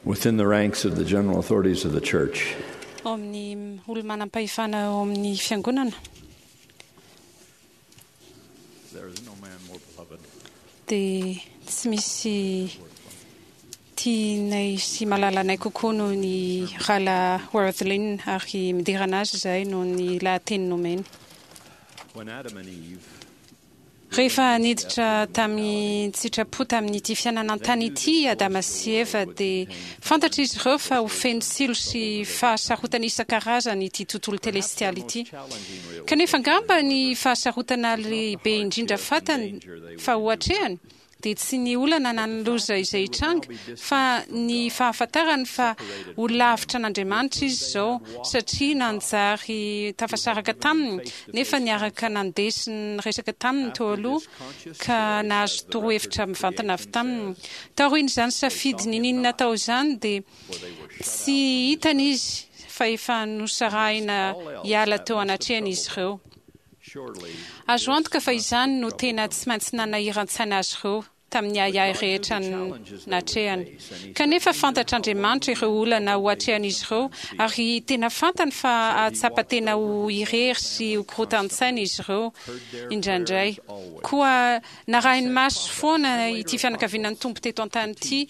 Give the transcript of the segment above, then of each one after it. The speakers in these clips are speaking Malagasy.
Within the ranks of the general authorities of the church. Ao amin'ny olo-manam-pahefana ao amin'ny fiangonana. There is no man more beloved. Dia tsy misy tianay sy malalanay kokoa noho ny Rahalahy Wirthlin ary miderana azy izahay noho ny lahateny nomeny. When Adam and Eve Rehefa niditra tamin-tsitrapo tamin'ity fiainana an-tany ity i Adama sy Eva dia fantatr'izy ireo fa ho feno tsilo sy fahasarotana isan-karazany ity tontolo telestialy ity. Kanefa angamba ny fahasarotana lehibe indrindra fantany fa ho atrehany dia tsy ny olana na ny loza izay hitranga, fa ny fahafantarany fa ho lavitra an'Andriamanitra izy izao, satria nanjary tafasaraka taminy, nefa niaraka nandeha sy niresaka taminy teo aloha, ka nahazo torohevitra mivantana avy taminy. Taorian'izany safidy niniany natao izany, dia tsy hitany izy fa efa nosarahina hiala teo anatrehany izy ireo. Azo antoka fa izany no tena tsy maintsy nanahiran-tsaina azy ireo tamin'ny ahiahy rehetra natrehany. Kanefa fantatr'Andriamanitra ireo olana ho atrehan'izy ireo, ary tena fantany fa hahatsapa tena ho irery sy ho korotan-tsaina izy ireo indraindray. Koa narahiny maso foana ity fianakaviana ny Tompo teto an-tany ity,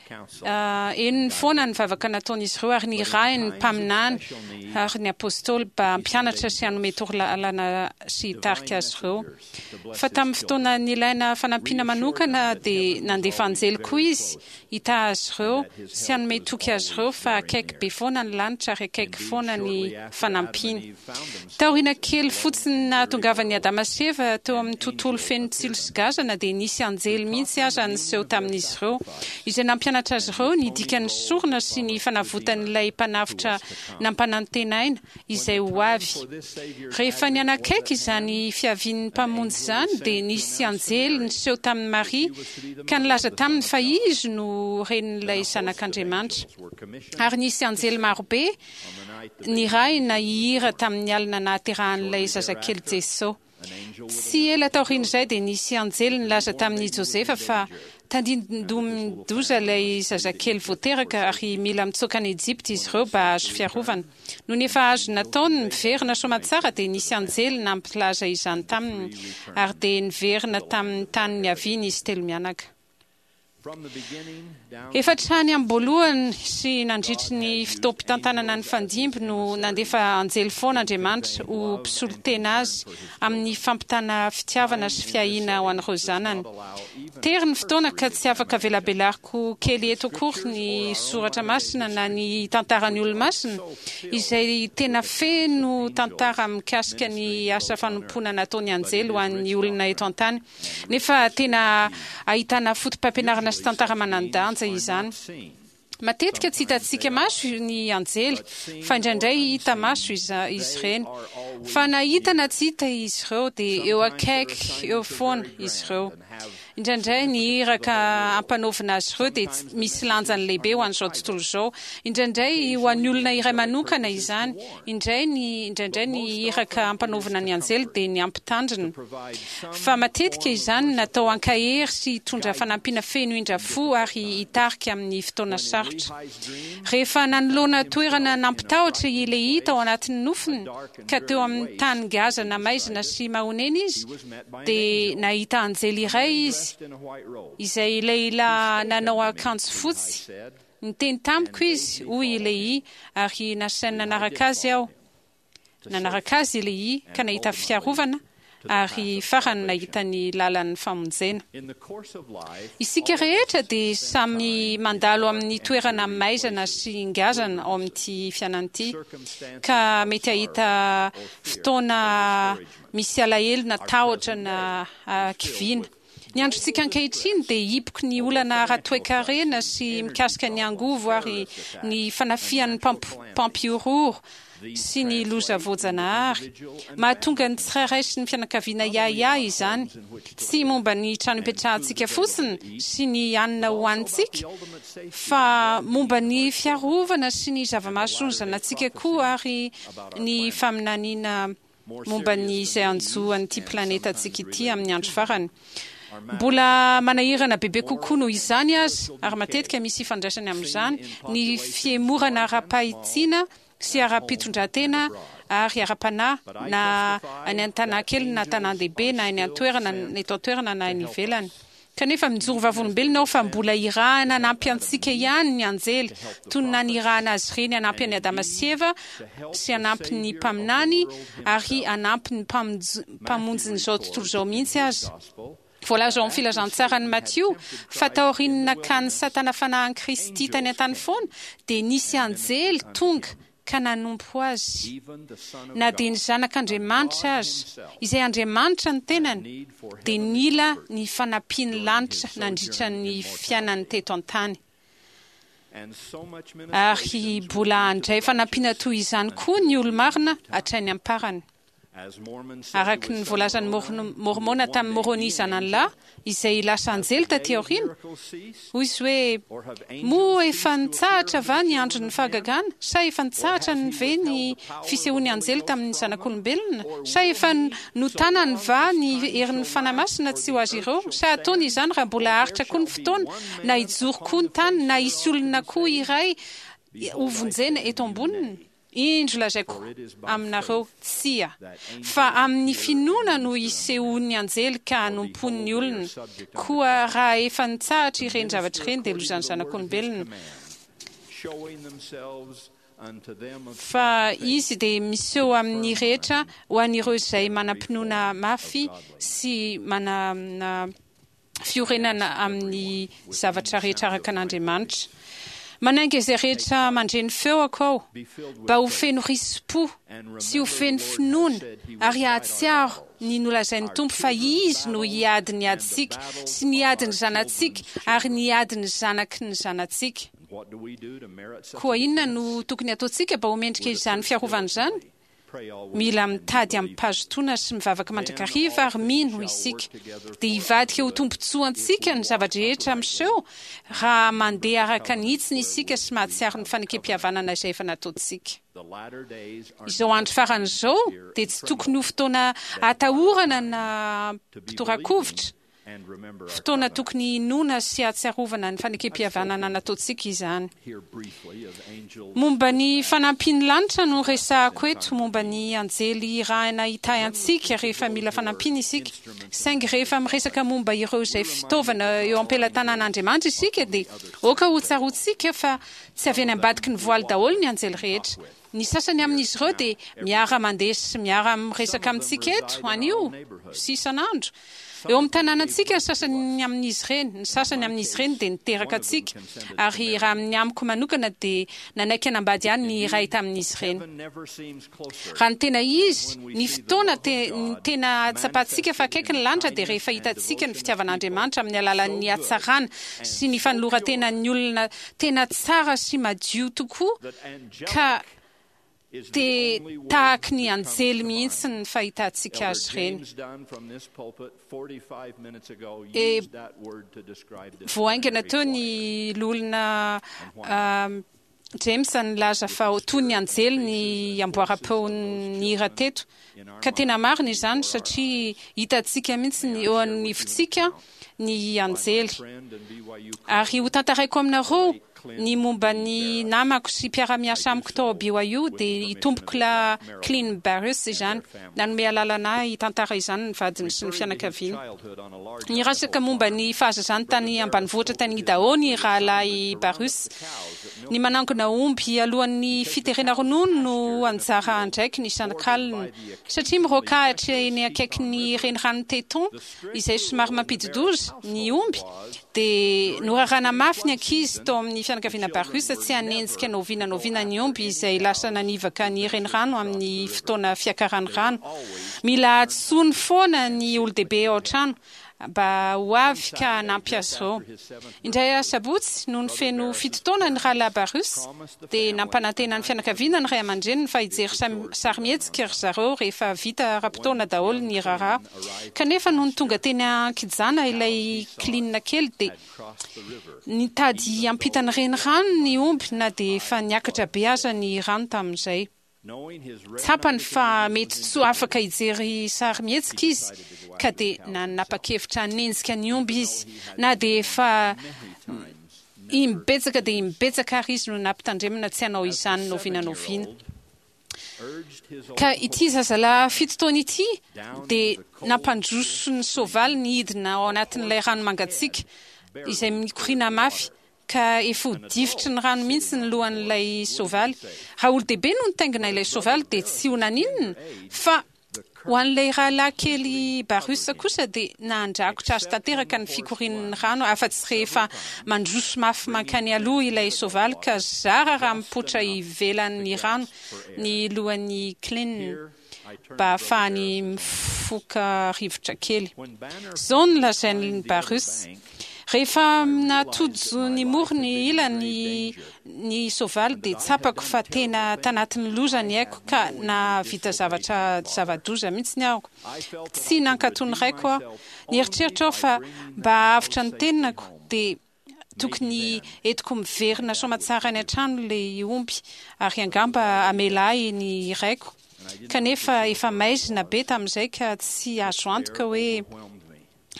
Henony foana ny vavaka nataon'izy ireo ary nirahiny ny mpaminany ary ny apostoly mba hampianatra sy hanome torolalana sy hitarika azy ireo. Fa tamin'ny fotoana nilaina fanampiana manokana dia nandefa anjely koa izy hitaha azy ireo sy hanome toky azy ireo fa akaiky be foana ny lanitra ary akaiky foana ny fanampiany. Taoriana kely fotsiny nahatongavan'i Adama sy Eva teo amin'ny tontolo feno tsilo sy gazana dia nisy anjely mihitsy aza niseho tamin'izy ireo, izay nampianatra azy ireo ny dikan'ny sorona sy ny fanavotan'ilay Mpanavotra nampanantenaina izay ho avy. Rehefa nianakaiky izany fiavian'ny Mpamonjy izany dia nisy anjely niseho tamin'i Maria ka nilaza taminy fa izy no renin'ilay Zanak'Andriamanitra. Ary nisy anjely marobe Nirahina hihira tamin'ny alina nahaterahan'ilay zazakely Jeso. Tsy ela taorian'izay dia nisy anjely nilaza tamin'i Josefa fa tandindomin-doza ilay zazakely vao teraka ary mila mitsoaka any Ejipta izy ireo mba hahazo fiarovana. Nony efa azo natao ny miverina soamantsara dia nisy anjely nampilaza izany taminy ary dia niverina tamin'ny tany niaviany izy telomianaka. Efa hatrany am-boalohany sy nandritry ny fotoam-pitantanana nifandimby no nandefa anjely foana Andriamanitra ho mpisolo tena azy amin'ny fampitana fitiavana sy fiahiana ho an'ireo zanany. Tery ny fotoana ka tsy afaka velabelariko kely eto akory ny soratra masina na ny tantaran'ny olomasina izay tena feno tantara mikasika ny asa fanompoana nataon'ny anjely ho an'ny olona eto an-tany. Nefa tena ahitana fotopampianarana sy tantara manan-danja izany. Matetika tsy hitantsika maso ny anjely, fa indraindray hita maso izy ireny. Fa na hita na tsy hita izy ireo, dia eo akaiky eo foana izy ireo. Indraindray ny iraka ampanaovina azy ireo dia misy lanjany lehibe ho an'izao tontolo izao. Indraindray ho an'ny olona iray manokana izany. Indray ny indraindray ny iraka ampanaovina ny anjely dia ny hampitandrina. Fa matetika izany natao hankahery sy hitondra fanampiana feno indra fo ary hitarika amin'ny fotoana sarotra. Rehefa nanoloana toerana nampitahotra i Lehia tao anatin'ny nofiny, ka teo amin'ny tany ngazana maizina sy mahonena izy, dia nahita anjely iray izy, izay lehilahy nanao akanjo fotsy. Niteny tamiko izy, hoy i Lehia, ary nasainy nanaraka azy aho. Nanaraka azy i Lehia ka nahita fiarovana ary farany nahita ny lalan'ny famonjena. Isika rehetra dia samy mandalo amin'ny toerana maizana sy ngazana ao amin'ity fiainana ity, ka mety hahita fotoana misy alahelo na tahotra na hakiviana. Ny androntsika ankehitriny dia hipoky ny olana ara-toekarena sy mikasika ny angovo ary ny fanafihan'ny mpampihorohoro sy ny loza voajanahary. Mahatonga ny tsirairay sy ny fianakaviana hiahiahy izany, tsy momba ny trano ipetrahantsika fotsiny sy ny hanina hohanintsika, fa momba ny fiarovana sy ny zava-mahasoa ny zanatsika koa ary ny faminaniana momba ny izay hanjo an'ity planetantsika ity amin'ny andro farany. Mbola manahirana bebe kokoa noho izany aza, ary matetika misy ifandraisany amin'izany, ny fihemorana ara-pahitsiana sy ara-pitondran-tena ary ara-panahy, na any an-tanàn-kely na tanàn-dehibe, na any an-toerana, eto an-toerana na any ivelany. Kanefa mijoro vavolombelona aho fa mbola irahana hanampy antsika ihany ny anjely, toy ny nanirahana azy ireny hanampy an'i Adama sy Eva, sy hanampy ny mpaminany, ary hanampy ny Mpamonjin'izao tontolo izao mihitsy aza. Voalaza ao amin'ny Filazantsaran'i Matio fa taorian'ny nakan'i Satana fanahy an'i Kristy tany an-tany foana, dia nisy anjely tonga ka nanompo azy. Na dia ny Zanak'Andriamanitra aza, izay Andriamanitra ny tenany, dia nila ny fanampian'ny lanitra nandritra ny fiainany teto an-tany. Ary mbola handray fanampiana toy izany koa ny olo-marina hatrany am-parany. Araka ny voalazan'i Môrmôna tamin'i Môrônia zanany lahy, izay lasa anjely taty aoriana, hoy izy hoe, Moa efa nitsahatra va ny andron'ny fahagagana? Sa efa nitsahatra ve ny fisehoan'ny anjely tamin'ny zanak'olombelona? Sa efa notanany va ny herin'ny Fanahy Masina tsy ho azy ireo? Sa hataony izany raha mbola haharitra koa ny fotoana, na hijoro koa ny tany, na hisy olona koa iray hovonjena eto amboniny? Indro lazaiko aminareo, Tsia, fa amin'ny finoana no hisehoan'ny anjely ka hanompoany ny olona, koa raha efa nitsahatra ireny zavatra ireny dia lozan'ny zanak'olombelona, fa izy dia miseho amin'ny rehetra ho an'ireo izay manam-pinoana mafy sy manana fiorenana amin'ny zavatra rehetra araka an'Andriamanitra. Manainga izay rehetra mandre ny feoko aho mba ho feno risi-po sy ho feno finoana ary hahatsiaro ny nolazain'ny Tompo fa Izy no hiady ny adintsika sy ny adin'ny zanatsika ary ny adin'ny zanaky ny zanatsika. Koa inona no tokony hataontsika mba ho mendrika izany fiarovana izany? Mila mitady amim-pahazotoana sy mivavaka mandrakariva ary mino isika. Dia hivadika ho tombontsoantsika ny zava-drehetra miseho raha mandeha araka ny hitsiny isika sy mahatsiaro ny fanekempihavanana izay efa nataontsika. Izao andro farany izao dia tsy tokony ho fotoana atahorana na mpitorakovitra. Fotoana tokony hinoana sy hahatsiarovana ny fanekempihavanana nataontsika izany. Momba ny fanampian'ny lanitra no resahako eto, momba ny anjely irahina hitahy antsika rehefa mila fanampiana isika. Saingy rehefa miresaka momba ireo izay fitaovana eo am-pelatanan'Andriamanitra isika dia aoka hotsaroantsika fa tsy avy any ambadiky ny voaly daholo ny anjely rehetra. Ny sasany amin'izy ireo dia miara-mandeha sy miara-miresaka amintsika eto anio sy isan'andro. Eo amin'ny tanànantsika ny sasany amin'izy ireny, ny sasany amin'izy ireny dia niteraka antsika, ary raha amin'ny amiko manokana dia nanaiky hanambady ahy ny iray tamin'izy ireny. Raha ny tena izy, ny fotoana ny tena ahatsapantsika fa akaiky ny lanitra dia rehefa hitantsika ny fitiavan'Andriamanitra amin'ny alalan'ny hatsarana sy ny fanoloran-tenan'ny olona tena tsara sy madio tokoa ka dia tahaky ny anjely mihitsy ny fahitantsika azy ireny. E, vao haingana teo ny loholona James nilaza fa toy ny anjely ny amboaram-peon'ny hira teto. Ka tena marina izany satria hitantsika mihitsy ny eo anivontsika ny anjely. Ary hotantaraiko aminareo Ny momba ny namako sy mpiara-miasa amiko tao BYU dia i Tompokolahy Clint Barus izany. Nanome alalana ahy hitantara izany ny vadiny sy ny fianakaviany. Niresaka momba ny fahazazany tany ambanivohitra tany Idaho ny Rahalahy Barus. Ny manangona omby alohan'ny fiterena ronono no anjara andraikiny isan'kalina. Satria miroakahitra eny akaikin'ny renirano Teton izay somary mampidi-doza ny omby, dia norarana mafy ny ankizy tao amin'ny fianakaviana Barus tsy hanenjika na oviana na oviana ny omby izay lasa nanivaka ny renirano amin'ny fotoana fiakaran'ny rano. Mila antsoiny foana ny olon-dehibe ao an-trano mba ho avy ka hanampy azy ireo. Indray asabotsy, nony feno 7 taona ny Rahalahy Barus, dia nampanantena ny fianakaviana ny ray aman-dreniny fa hijery sarimihetsika ry zareo rehefa vita ara-potoana daholo ny raharaha. Kanefa nony tonga teny an-kijana ilay kilinina kely dia nitady hiampita ny renirano ny omby na dia efa niakatra be aza ny rano tamin'izay. Tsapany fa mety tsy ho afaka hijery sarimihetsika izy, ka dia nanapa-kevitra hanenjika ny omby izy, na dia efa imbetsaka dia imbetsaka ary izy no nampitandremana tsy hanao izany n'oviana n'oviana. Ka ity zazalahy fito taona ity dia nampandroso ny soavaly nihidina ao anatin'ilay rano mangatsiaka izay mikoriana mafy ka efa ho difotry ny rano mihitsy ny lohan'ilay soavaly. Raha olon-dehibe no nitaingina ilay soavaly dia tsy ho naninona, fa ho an'ilay rahalahy kely Barus kosa dia nandrakotra azy tanteraka ny fikorian'ny rano afa-tsy rehefa mandroso mafy mankany aloha ilay soavaly ka zara raha mipoitra ivelan'ny rano ny lohan'i Clint mba hahafahany mifoka rivotra kely. Izao no lazain'i Barus, Rehefa natojo ny morony ilany ny soavaly dia tsapako fa tena tanatin'ny loza ny aiko ka nahavita zavatra zava-doza mihitsy aho. Tsy nankatò ny raiko aho. Nieritreritra aho fa mba hahavotra ny tenako dia tokony entiko miverina soamatsara any an-trano ilay omby ary angamba hamela ahy ny raiko. Kanefa efa maizina be tamin'izay ka tsy azo antoka hoe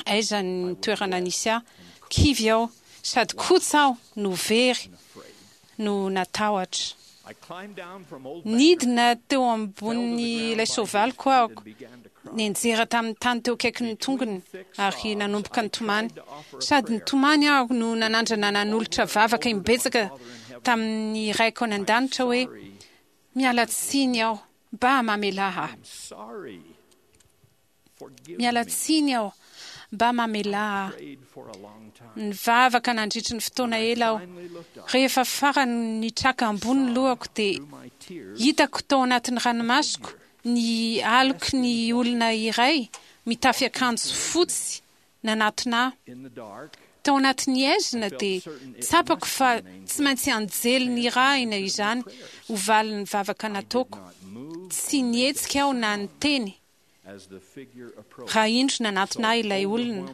aiza ny toerana nisy ahy. Kivy aho, sady kotsa aho no very no natahotra. Nidina teo ambonin'ilay soavaliko aho, nianjera tamin'ny tany teo akaikin'ny tongony, ary nanomboka nitomany. Sady nitomany aho no nanandrana nanolotra vavaka imbetsaka tamin'ny Raiko any An-danitra hoe, Miala tsiny aho, mba mamelà ahy. Miala tsiny aho, mba mamelà ahy. Nivavaka nandritry ny fotoana ela aho. Rehefa farany nitraka ambony ny lohako dia hitako tao anatin'ny ranomasoko ny aloky ny olona iray mitafy akanjo fotsy nanatona ahy. Tao anatin'ny haizina dia tsapako fa tsy maintsy anjely nirahina izany ho valin'ny vavaka nataoko. Tsy nihetsika aho na niteny raha indro nanatona ahy ilay olona,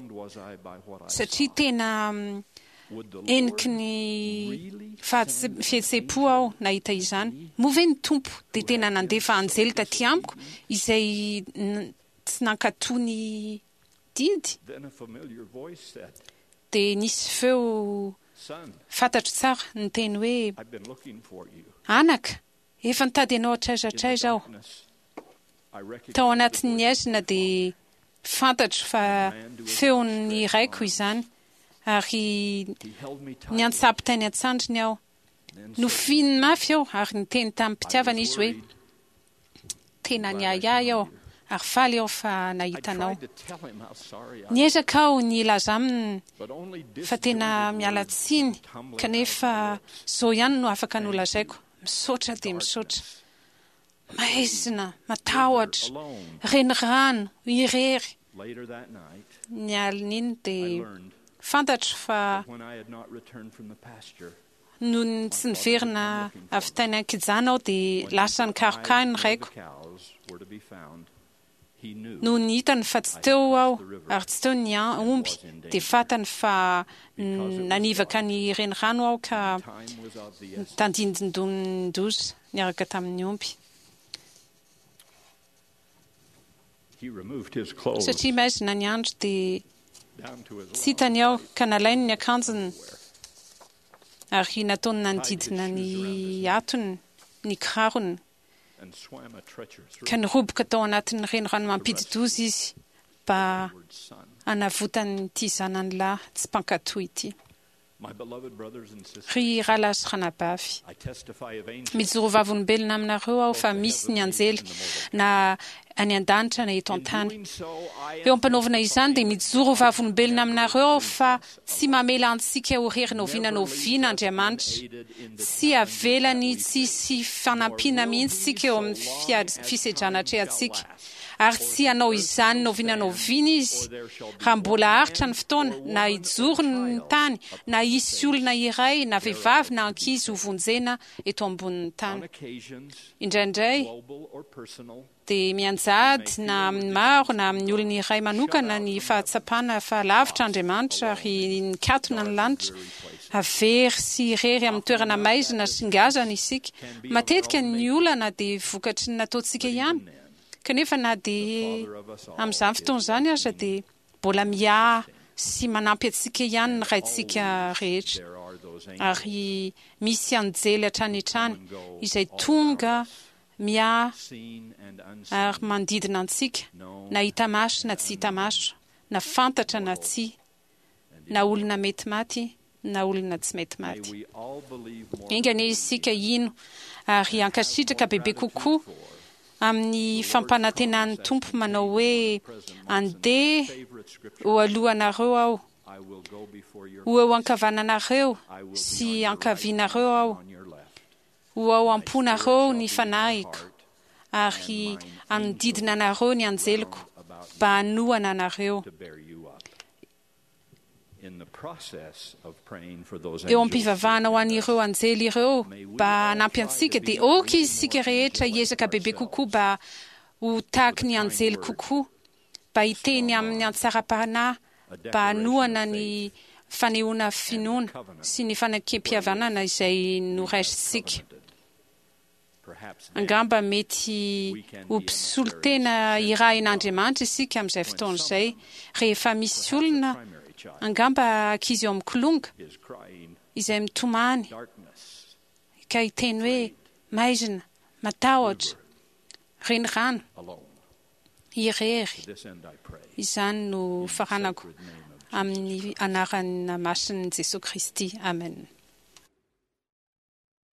satria tena heniky ny fihetseham-po aho nahita izany. Moa ve ny Tompo dia tena nandefa anjely taty amiko izay tsy nankatò ny didy? Dia nisy feo fantatro tsara niteny hoe, Anaka, efa nitady anao hatraiza hatraiza aho. Tao anatin'ny haizina dia fantatro fa feon'ny raiko izany, ary niantsampy tany an-tsandriny aho. Nofihininy mafy aho ary niteny tamim-pitiavana izy hoe, Tena niahiahy aho ary faly aho fa nahita anao. Niezaka aho ny hilaza aminy fa tena miala tsiny kanefa izao ihany no afaka nolazaiko, Misaotra dia misaotra. Maizina, matahotra, renirano, irery. Ny alin'iny dia fantatro fa nony tsy niverina avy tany an-kijana aho dia lasa nikaroka ahy ny raiko. Nony hitany fa tsy teo aho ary tsy teo ny omby dia fantany fa nanivaka ny renirano aho ka nitandindondoza niaraka tamin'ny omby. Satria maizina ny andro dia tsy hitany aho ka nalainy ny akanjony ary nataony nanodidina ny hatony ny kirarony. ka niroboka tao anatin'ny renirano mampidi-doza izy mba hanavotany ity zanany lahy tsy mpankatò ity. Ry rahalahy sy ranabavy, mijoro vavolombelona aminareo aho fa misy ny anjely na any an-danitra na eto an-tany. Eo am-panaovana izany dia mijoro vavolombelona aminareo aho fa Tsy mamela antsika ho rery n'oviana n'oviana Andriamanitra. Tsy avelany tsy hisy fanampiana mihitsy isika eo amin'ny fisedrana atrehantsika. Ary tsy hanao izany n'oviana n'oviana Izy raha mbola haharitra ny fotoana, na hijoro ny tany, na hisy olona iray, na vehivavy na ankizy hovonjena eto ambonin'ny tany. Indraindray, dia mianjady na amin'ny maro na amin'ny olona iray manokana ny fahatsapana fa lavitra Andriamanitra ary nikatona ny lanitra. Very sy irery amin'ny toerana maizina sy ngazana isika. Matetika ny olana dia vokatry ny nataontsika ihany. Kanefa na dia amin'izany fotoana izany aza dia mbola miahy sy manampy antsika ihany ny Raintsika rehetra. Ary misy anjely hatrany hatrany izay tonga miahy ary manodidina antsika, na hita maso na tsy hita maso, na fantatra na tsia, na olona mety maty na olona tsy mety maty. Enga anie isika hino ary hankasitraka bebe kokoa amin'ny fampanantenan'ny Tompo manao hoe, Andeha ho alohanareo Aho, ho eo ankavananareo sy ankavianareo Aho, ho ao am-ponareo ny Fanahiko, ary hanodidina anareo ny anjeliko mba hanohana anareo. Eo am-pivavahana ho an'ireo anjely ireo mba hanampy antsika, dia aoka isika rehetra hiezaka bebe kokoa mba ho tahaky ny anjely kokoa, mba hiteny amin'ny hatsaram-panahy mba hanohana ny fanehoana finoana sy ny fanekempihavanana izay noraisintsika. Angamba mety ho mpisolo tena irahin'Andriamanitra isika amin'izay fotoana izay, rehefa misy olona, angamba ankizy eo amin'ny kilonga, izay mitomany ka hiteny hoe, Maizina, matahotra, renirano, irery. Izany no faranako amin'ny anarana masin'i Jesoa Kristy. Amen.